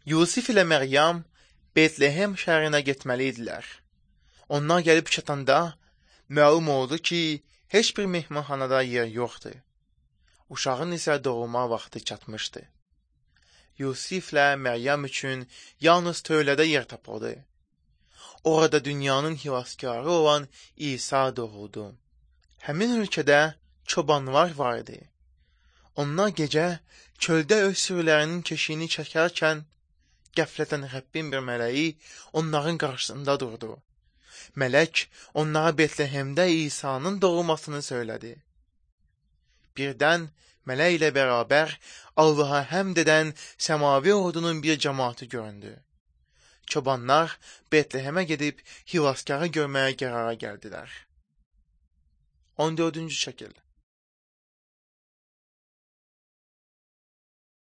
Yusif ilə Məryəm Betlehem şəhərinə getməli idilər. Onlar gəlib çatanda məlum oldu ki, heç bir mehmanxanada yer yoxdur. Uşağın isə doğulma vaxtı çatmışdı. Yusiflə Məryəm üçün yalnız tövlədə yer tapıldı. Orada dünyanın xilaskarı olan İsa doğuldu. Həmin ölkədə çobanlar vardı. Onlar gecə çöldə öz sürülərinin keşiyini çəkərkən qəflətən Rəbbin bir mələyi onların qarşısında durdu. Mələk onlara Betlehemdə İsa'nın doğulmasını söylədi. Birdən mələk ilə bərabər Allaha həmd edən səmavi ordunun bir cəmaatı göründü. Çobanlar Betlehemə gedib xilaskarı görməyə qərara gəldilər. 14-cü şəkil.